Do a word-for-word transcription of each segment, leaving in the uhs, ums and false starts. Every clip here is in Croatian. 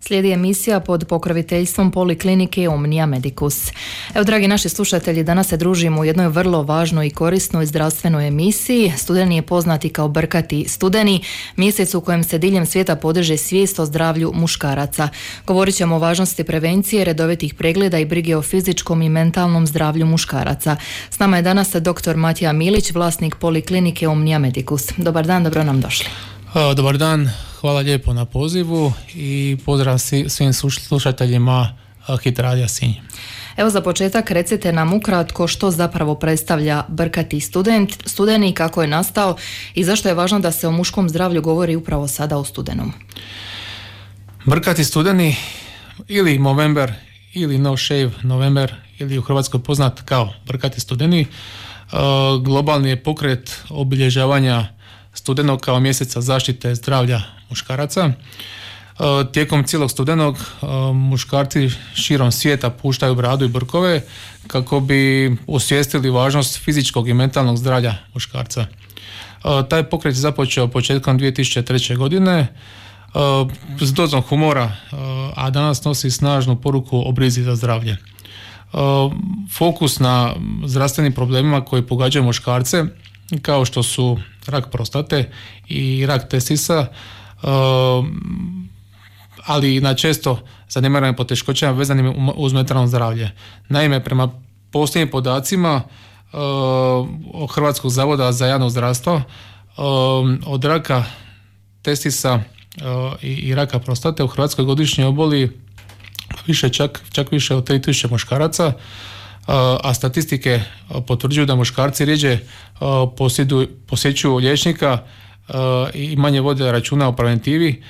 Slijedi emisija pod pokroviteljstvom Poliklinike Omnia Medicus. Evo, dragi naši slušatelji, danas se družimo u jednoj vrlo važnoj i korisnoj zdravstvenoj emisiji. Studeni je poznati kao Brkati studeni, mjesec u kojem se diljem svijeta podiže svijest o zdravlju muškaraca. Govorit ćemo o važnosti prevencije, redovitih pregleda i brige o fizičkom i mentalnom zdravlju muškaraca. S nama je danas doktor Matija Milić, vlasnik Poliklinike Omnia Medicus. Dobar dan, dobro nam došli. Dobar dan, hvala lijepo na pozivu i pozdrav svim slušateljima Hit radija Sinj. Evo, za početak recite nam ukratko što zapravo predstavlja Brkati student, studeni, kako je nastao i zašto je važno da se o muškom zdravlju govori upravo sada u studenom. Brkati studeni ili Movember ili No Shave November ili u Hrvatskoj poznat kao Brkati studeni globalni je pokret obilježavanja studenog kao mjeseca zaštite zdravlja muškaraca. Tijekom cijelog studenog muškarci širom svijeta puštaju bradu i brkove kako bi osvijestili važnost fizičkog i mentalnog zdravlja muškarca. Taj pokret je započeo početkom dvije tisuće treće. godine s dozom humora, a danas nosi snažnu poruku o brizi za zdravlje. Fokus na zdravstvenim problemima koji pogađaju muškarce, kao što su rak prostate i rak testisa, ali i na često zanemarene poteškoćama vezanim uz mentalno zdravlje. Naime, prema posljednjim podacima od Hrvatskog zavoda za javno zdravstvo, od raka testisa i raka prostate u Hrvatskoj godišnje oboli više, čak, čak više od tri tisuće muškaraca, a statistike potvrđuju da muškarci rjeđe posjećuju liječnika i manje vode računa o preventivi,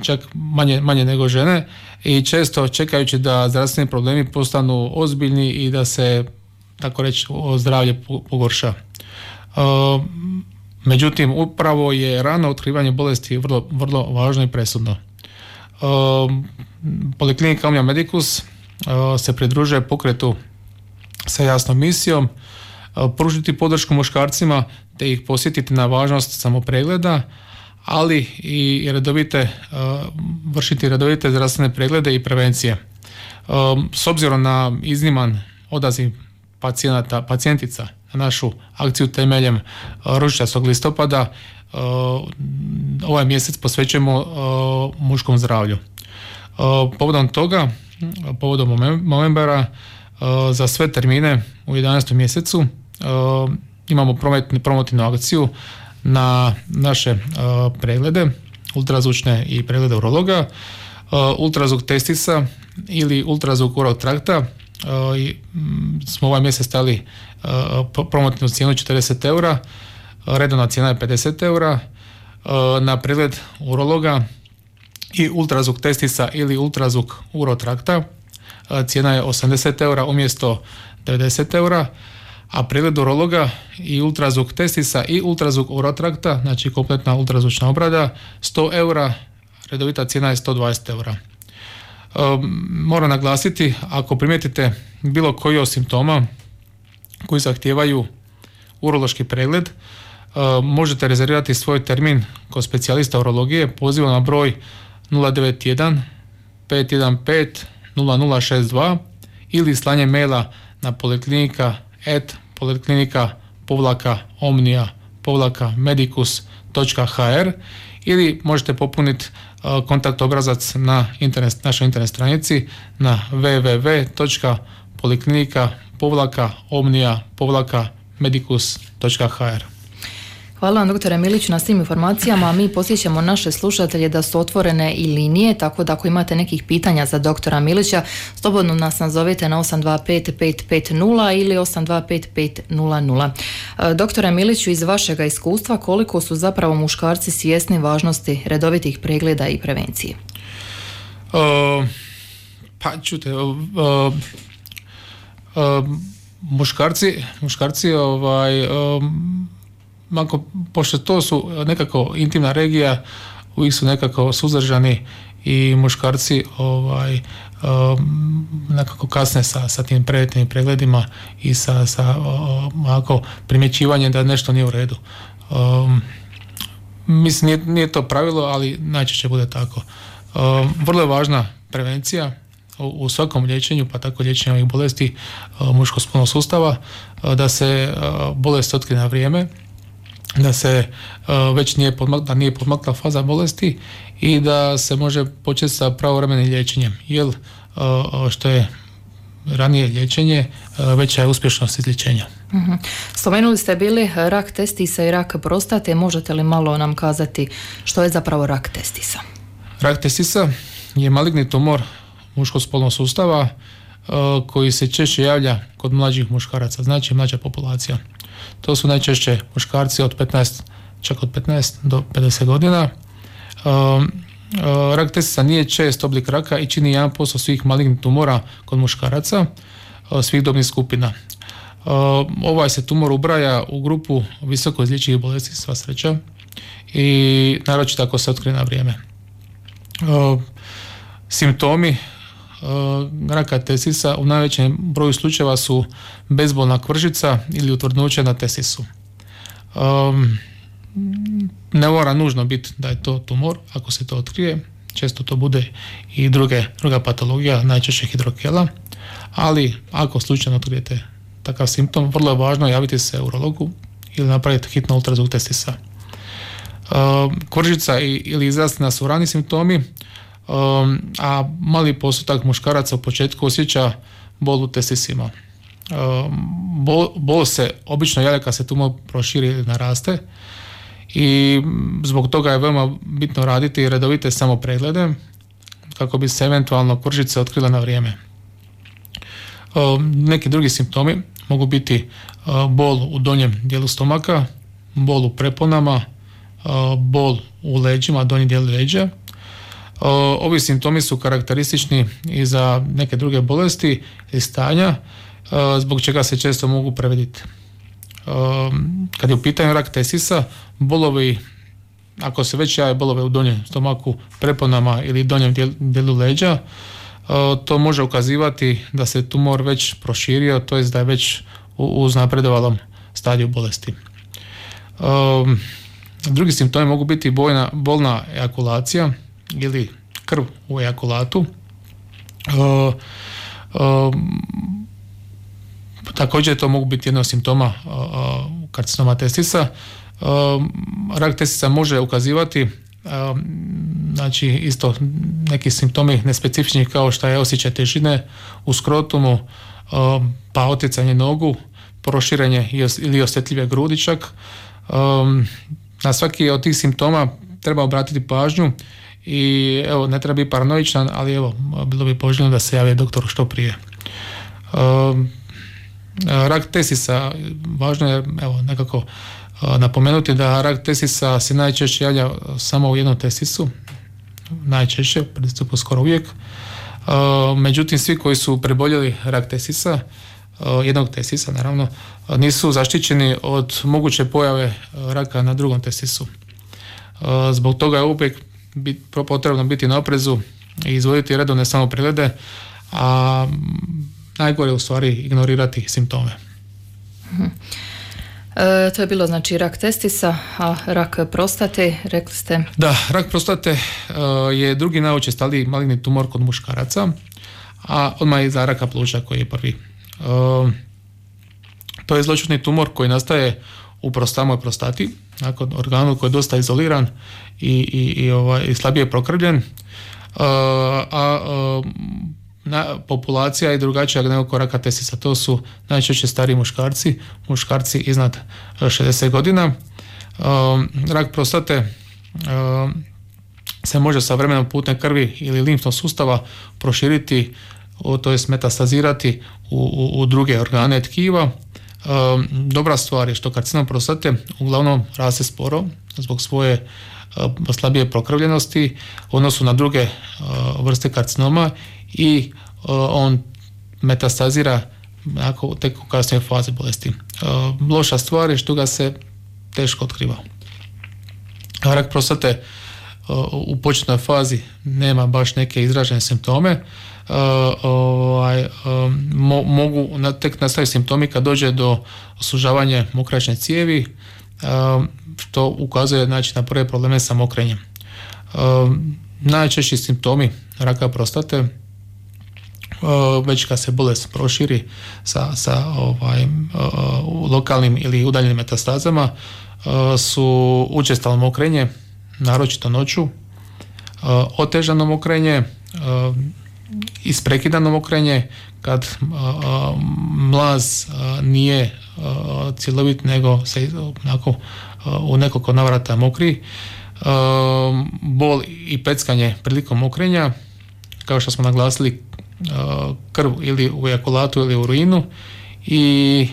čak manje, manje nego žene, i često čekajući da zdravstveni problemi postanu ozbiljni i da se, tako reći, zdravlje pogorša. Međutim, upravo je rano otkrivanje bolesti vrlo, vrlo važno i presudno. Poliklinika Omnia Medicus se pridružuje pokretu sa jasnom misijom pružiti podršku muškarcima te ih posjetiti na važnost samopregleda, ali i redovite, vršiti redovite zdravstvene preglede i prevencije. S obzirom na izniman odaziv pacijenata, pacijentica na našu akciju temeljem ružičastog listopada, ovaj mjesec posvećujemo muškom zdravlju. Povodom toga, povodom Movembera, za sve termine u jedanaestom mjesecu imamo promotivnu akciju na naše preglede, ultrazvučne i preglede urologa, ultrazvuk testisa ili ultrazvuk urolog trakta. Smo ovaj mjesec stavili promotivnu cijenu četrdeset eura, redovna cijena je pedeset eura. Na pregled urologa i ultrazvuk testisa ili ultrazvuk urotrakta cijena je osamdeset eura umjesto devedeset eura, a pregled urologa i ultrazvuk testisa i ultrazvuk urotrakta, znači kompletna ultrazvučna obrada, sto eura, redovita cijena je sto dvadeset eura. Moram naglasiti, ako primijetite bilo koji od simptoma koji zahtijevaju urološki pregled, možete rezervirati svoj termin kod specijalista urologije pozivom na broj nula devet jedan pet jedan pet nula nula šest dva ili slanje maila na poliklinika at poliklinika povlaka omnia povlaka medicus točka hr ili možete popuniti kontakt obrazac na internet, našoj internet stranici na w w w točka poliklinika povlaka omnia povlaka medicus točka hr. Hvala vam, doktore Milić, na svim informacijama. Mi posjećamo naše slušatelje da su otvorene i linije, tako da ako imate nekih pitanja za doktora Milića, slobodno nas nazovete na osam dva pet pet pet nula ili osam dva pet pet nula nula. Doktore Miliću, iz vašega iskustva, koliko su zapravo muškarci svjesni važnosti redovitih pregleda i prevencije? Uh, pa čute, uh, uh, muškarci, muškarci ovaj... Uh, Mako, pošto to su nekako intimna regija, uvijek su nekako suzdržani i muškarci ovaj, um, nekako kasne sa, sa tim preventivnim pregledima i sa, sa um, primjećivanjem da nešto nije u redu. Um, mislim, nije, nije to pravilo, ali najčešće bude tako. Vrlo je važna prevencija u svakom liječenju, pa tako liječenju ovih bolesti muškog spolnog sustava, da se bolest otkrije na vrijeme, da se već nije podmakla, da nije podmakla faza bolesti i da se može početi sa pravovremenim liječenjem, jer što je ranije liječenje, veća je uspješnost izlječenja. Uh-huh. Spomenuli ste bili rak testisa i rak prostate, možete li malo nam kazati što je zapravo rak testisa? Rak testisa je maligni tumor muškog spolnog sustava koji se češće javlja kod mlađih muškaraca, znači mlađa populacija. To su najčešće muškarci od petnaest, čak od petnaest do pedeset godina. Rak testisa nije čest oblik raka i čini jedan posto svih malignih tumora kod muškaraca svih dobnih skupina. Ovaj se tumor ubraja u grupu visoko izlječivih bolesti, sva sreća, i naročito ako se otkrije na vrijeme. Simptomi raka testisa u najvećem broju slučajeva su bezbolna kvržica ili utvrdnuće na testisu. Ne mora nužno biti da je to tumor, ako se to otkrije, često to bude i druge, druga patologija, najčešće hidrokela, ali ako slučajno otkrijete takav simptom, vrlo je važno javiti se urologu ili napraviti hitno ultrazvuk testisa. Kvržica ili izrastina su rani simptomi, a mali postotak muškaraca u početku osjeća bol u testisima. Bol, bol se obično javlja kad se tumor proširi ili naraste i zbog toga je veoma bitno raditi redovite samopreglede kako bi se eventualno kvržice otkrile na vrijeme. Neki drugi simptomi mogu biti bol u donjem dijelu stomaka, bol u preponama, bol u leđima, donji dijel leđa. Ovi simptomi su karakteristični i za neke druge bolesti i stanja, zbog čega se često mogu previdjeti. Kad je u pitanju rak testisa, bolovi, ako se već jave bolove u donjem stomaku, preponama ili donjem dijelu leđa, to može ukazivati da se tumor već proširio, to jest da je već u uznapredovalom stadiju bolesti. Drugi simptomi mogu biti bojna, bolna ejakulacija ili krv u ejakulatu. Uh, uh, također to mogu biti jedno od simptoma uh, karcinoma testisa. Uh, rak testisa može ukazivati uh, znači isto neki simptomi nespecifični kao što je osjećaj težine u skrotumu, uh, pa otjecanje nogu, proširenje ili osjetljive grudi čak. Um, na svaki od tih simptoma treba obratiti pažnju i evo, ne treba biti paranoičan, ali evo, bilo bi poželjno da se javi doktoru što prije. Um, rak testisa, važno je evo, nekako uh, napomenuti da rak testisa se najčešće javlja samo u jednom testisu, najčešće, u principu skoro uvijek. Uh, međutim, svi koji su preboljeli rak testisa, uh, jednog testisa naravno, uh, nisu zaštićeni od moguće pojave uh, raka na drugom testisu. Uh, zbog toga je uvijek bit, potrebno biti na oprezu i izvoditi redovne samopreglede, a najgore je u stvari ignorirati simptome. Hmm. E, to je bilo znači rak testisa, a rak prostate, rekli ste? Da, rak prostate uh, je drugi najučestaliji maligni tumor kod muškaraca, a odmah iza raka pluća koji je prvi. Uh, to je zloćudni tumor koji nastaje u samoj prostati, nakon organu koji je dosta izoliran i, i, i, ovaj, i slabije prokrvljen, uh, a uh, na, populacija je drugačija nego kod raka testisa. To su najčešće stariji muškarci, muškarci iznad šezdeset godina. Uh, rak prostate uh, se može sa vremenom putem krvi ili limfnog sustava proširiti, to jest metastazirati u, u, u druge organe tkiva. Uh, dobra stvar je što karcinom prostate uglavnom raste sporo zbog svoje uh, slabije prokrvljenosti u odnosu na druge uh, vrste karcinoma i uh, on metastazira ako, tek u kasnijoj fazi bolesti. Uh, loša stvar je što ga se teško otkriva. Rak prostate uh, u početnoj fazi nema baš neke izražene simptome. Uh, ovaj, um, mo, mogu na, tek nastaviti simptomi kad dođe do sužavanja mokraćne cijevi, um, što ukazuje znači, na prve probleme sa mokrenjem. Um, najčešći simptomi raka prostate, već kad se bolest proširi sa, sa ovaj, lokalnim ili udaljenim metastazama, su učestalo mokrenje, naročito noću, otežano mokrenje, isprekidano mokrenje, kad mlaz nije cjelovit, nego se onako u nekoliko navrata mokri, bol i peckanje prilikom mokrenja, kao što smo naglasili, krv ili u ejakulatu ili u urinu i,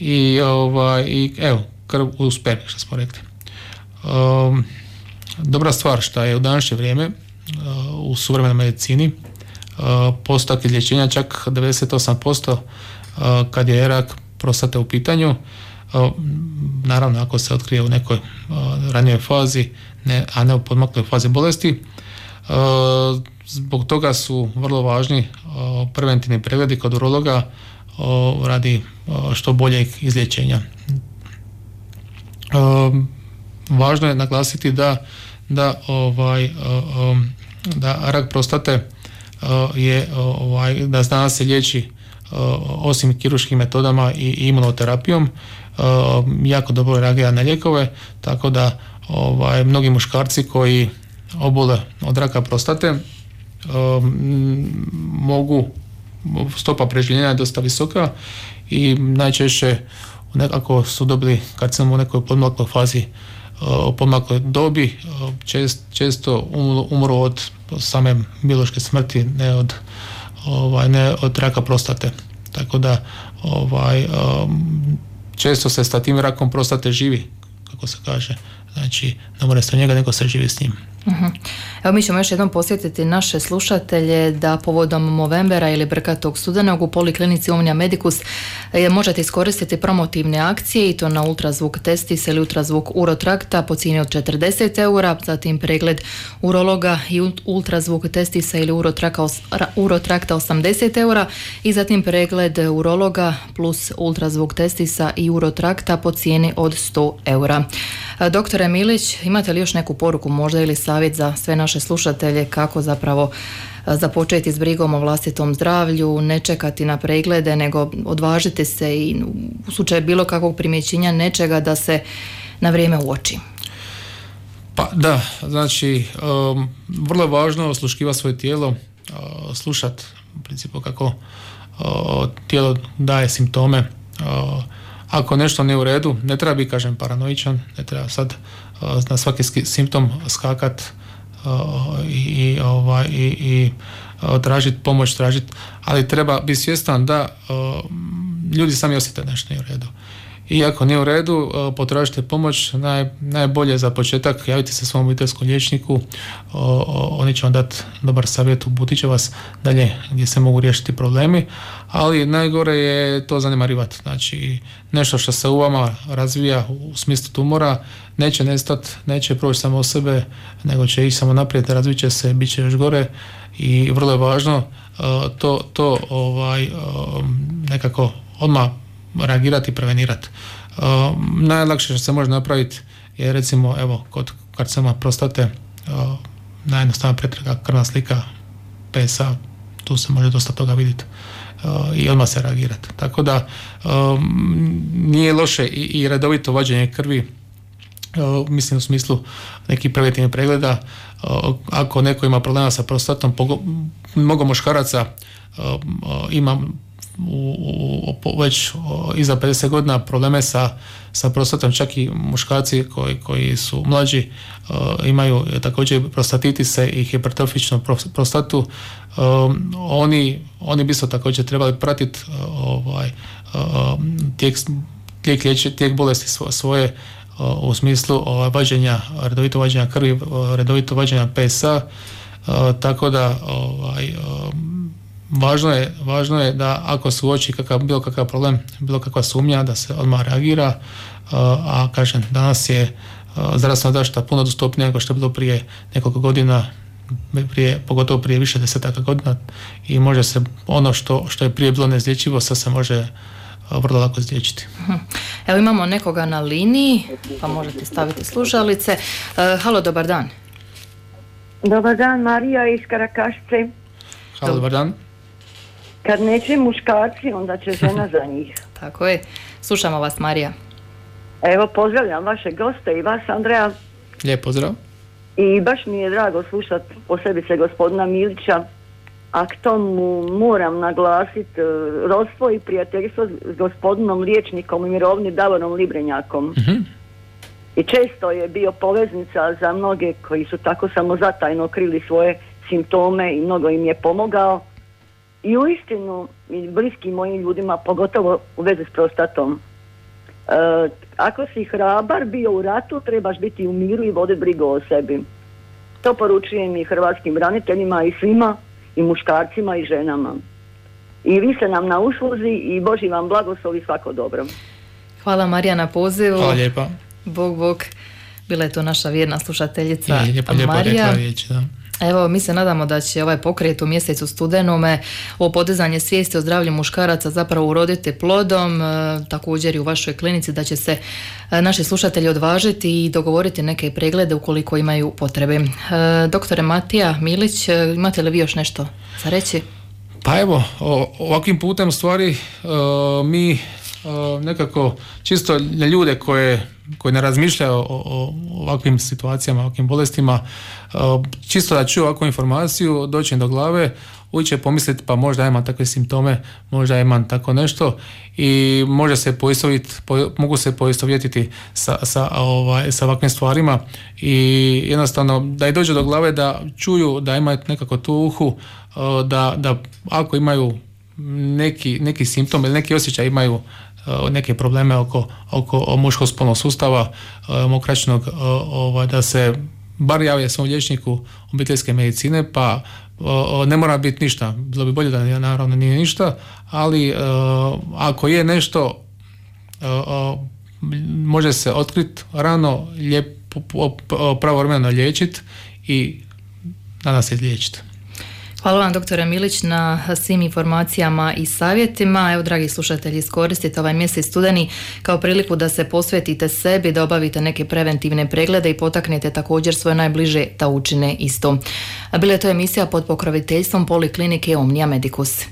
i, ovaj, i evo, krv u spermi, što smo rekli. Um, dobra stvar što je u današnje vrijeme uh, u suvremenoj medicini uh, postotak izlječenja čak devedeset osam posto uh, kad je rak prostate u pitanju, uh, naravno ako se otkrije u nekoj uh, ranijoj fazi, ne, a ne u podmakloj fazi bolesti. Uh, zbog toga su vrlo važni uh, preventivni pregledi kod urologa uh, radi uh, što boljeg izlječenja. Uh, važno je naglasiti da, da, ovaj, uh, um, da rak prostate uh, je ovaj, da danas se liječi uh, osim kirurškim metodama i imunoterapijom, uh, jako dobro reagira na lijekove, tako da ovaj, mnogi muškarci koji obole od raka prostate um, mogu, stopa preživljenja je dosta visoka i najčešće nekako su dobili karcinom u nekoj podmakloj fazi, u podmakloj dobi, čest, često umru od same biološke smrti, ne od, ovaj, ne od raka prostate. Tako da ovaj, često se sa tim rakom prostate živi, kako se kaže. Znači, ne mora se od njega, nego se živi s njim. Uh-huh. Evo mi ćemo još jednom posjetiti naše slušatelje da povodom Movembera ili Brkatog studenog u Poliklinici Omnia Medicus možete iskoristiti promotivne akcije i to na ultrazvuk testis ili ultrazvuk urotrakta po cijeni od četrdeset eura, zatim pregled urologa i ultrazvuk testisa ili urotrakta osamdeset eura i zatim pregled urologa plus ultrazvuk testisa i urotrakta po cijeni od sto eura. Doktore Milić, imate li još neku poruku možda ili savjet za sve naše slušatelje kako zapravo započeti s brigom o vlastitom zdravlju, ne čekati na preglede, nego odvažite se i u slučaju bilo kakvog primjećenja nečega da se na vrijeme uoči? Pa da, znači um, vrlo je važno osluškivati svoje tijelo, uh, slušati u principu kako uh, tijelo daje simptome. Uh, ako nešto nije u redu, ne treba biti, kažem, paranoičan, ne treba sad uh, na svaki simptom skakat uh, i, ovaj, i, i uh, tražiti pomoć, tražiti, ali treba biti svjestan da uh, ljudi sami osjete nešto nije u redu. I ako nije u redu, uh, potražite pomoć, naj, najbolje za početak javite se svom obiteljskom liječniku, uh, uh, oni će vam dati dobar savjet, uputit će vas dalje gdje se mogu riješiti problemi, ali najgore je to zanemarivati. Znači, nešto što se u vama razvija u smislu tumora neće nestati, neće proći samo od sebe, nego će ići samo naprijed, razvit će se, bit će još gore i vrlo je važno uh, to, to ovaj, uh, nekako odmah reagirati i prevenirati. Uh, najlakše što se može napraviti je recimo evo kod karcinoma prostate uh, najjednostavnija pretraga, krvna slika, P S A, tu se može dosta toga vidjeti uh, i odmah se reagirati. Tako da um, nije loše i, i redovito vađenje krvi, uh, mislim u smislu nekih preventivnih pregleda. Uh, ako neko ima problema sa prostatom, pogo, mnogo muškaraca uh, uh, ima U, u, već o, iza pedeset godina probleme sa, sa prostatom, čak i muškarci koji, koji su mlađi o, imaju također prostatitise i hipertrofičnu prostatu. O, oni, oni bi se također trebali pratiti ovaj, o, tijek, tijek, liječi, tijek bolesti svoje o, u smislu o, vađenja, redovito vađenja krvi, o, redovito vađenja P S A, o, tako da ovaj, o, Važno je, važno je da ako se uoči kakav, bilo kakav problem, bilo kakva sumnja, da se odmah reagira, a kažem, danas je zdravstvena zaštita puno dostupnija nego što je bilo prije nekoliko godina, prije, pogotovo prije više desetaka godina i može se ono što, što je prije bilo neizlječivo, sad se može vrlo lako izliječiti. Evo imamo nekoga na liniji, pa možete staviti slušalice. Uh, halo, dobar dan. Dobar dan, Marija iz Karakašice. Hvala, dobar dan. Kad neće muškarci, onda će žena za njih. Tako je. Slušamo vas, Marija. Evo, pozdravljam vaše goste i vas, Andreja. Lijep pozdrav. I baš mi je drago slušati posebice gospodina Milića, a k tomu moram naglasiti rodstvo i prijateljstvo s gospodinom liječnikom i mirovni Davorom Librenjakom. Uh-huh. I često je bio poveznica za mnoge koji su tako samozatajno krili svoje simptome i mnogo im je pomogao. I uistinu, i bliskim mojim ljudima, pogotovo u vezi s prostatom. E, ako si hrabar bio u ratu, trebaš biti u miru i voditi brigu o sebi. To poručujem i hrvatskim braniteljima i svima, i muškarcima i ženama. I vi ste nam na usluzi i Boži vam blagoslov i svako dobro. Hvala, Marija, na pozivu. Hvala lijepa. Bog, Bog. Bila je to naša vjerna slušateljica je, lijepo, lijepo Marija. Riječ, da. Evo, mi se nadamo da će ovaj pokret u mjesecu studenome o podizanje svijesti o zdravlju muškaraca zapravo uroditi plodom, e, također i u vašoj klinici, da će se e, naši slušatelji odvažiti i dogovoriti neke preglede ukoliko imaju potrebe. E, doktore Matija Milić, e, imate li vi još nešto za reći? Pa evo, o, ovakvim putem stvari e, mi e, nekako čisto ljude koje koji ne razmišljaju o, o ovakvim situacijama, ovakvim bolestima, čisto da čuju ovakvu informaciju, doći do glave, uvijek će pomisliti pa možda imam takve simptome, možda imam tako nešto i može se poistoviti, po, mogu se poistovjetiti sa, sa, ovaj, sa ovakvim stvarima i jednostavno da i dođe do glave, da čuju da imaju nekako tu uhu, da, da ako imaju neki, neki simptom ili neki osjećaj imaju neke probleme oko, oko muškog spolnog sustava, mokraćnog, ovaj, da se bar jave svom liječniku obiteljske medicine, pa ne mora biti ništa, bilo bi bolje da naravno nije ništa, ali ako je nešto, može se otkriti rano, lijepo, pravovremeno liječiti i nadam se liječiti. Hvala vam, doktore Milić, na svim informacijama i savjetima. Evo, dragi slušatelji, iskoristite ovaj mjesec studeni kao priliku da se posvetite sebi, da obavite neke preventivne preglede i potaknete također svoje najbliže da učine isto. Bila je to emisija pod pokroviteljstvom Poliklinike Omnia Medicus.